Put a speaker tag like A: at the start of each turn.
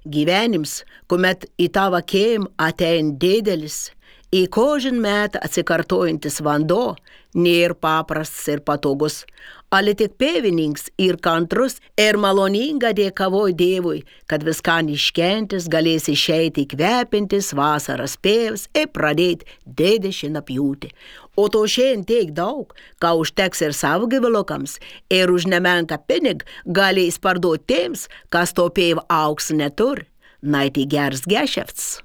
A: Gyvenims, kuomet į tavo kėm atein dėdelis, į kožin metą atsikartojantis vanduo, nėra paprastas ir patogus, ale tik pėvininks ir kantrus ir maloninga dėkavoj Dievui, kad viskan iškentis galės išeiti kvepintis vasaras pėvs ir pradėti dėdešiną pjūti. O to šiandien tiek daug, ką užteks ir savo gyvulokams, ir už nemenką pinig galės parduoti tiems, kas to pėv auks neturi. Naiti geras gešefts.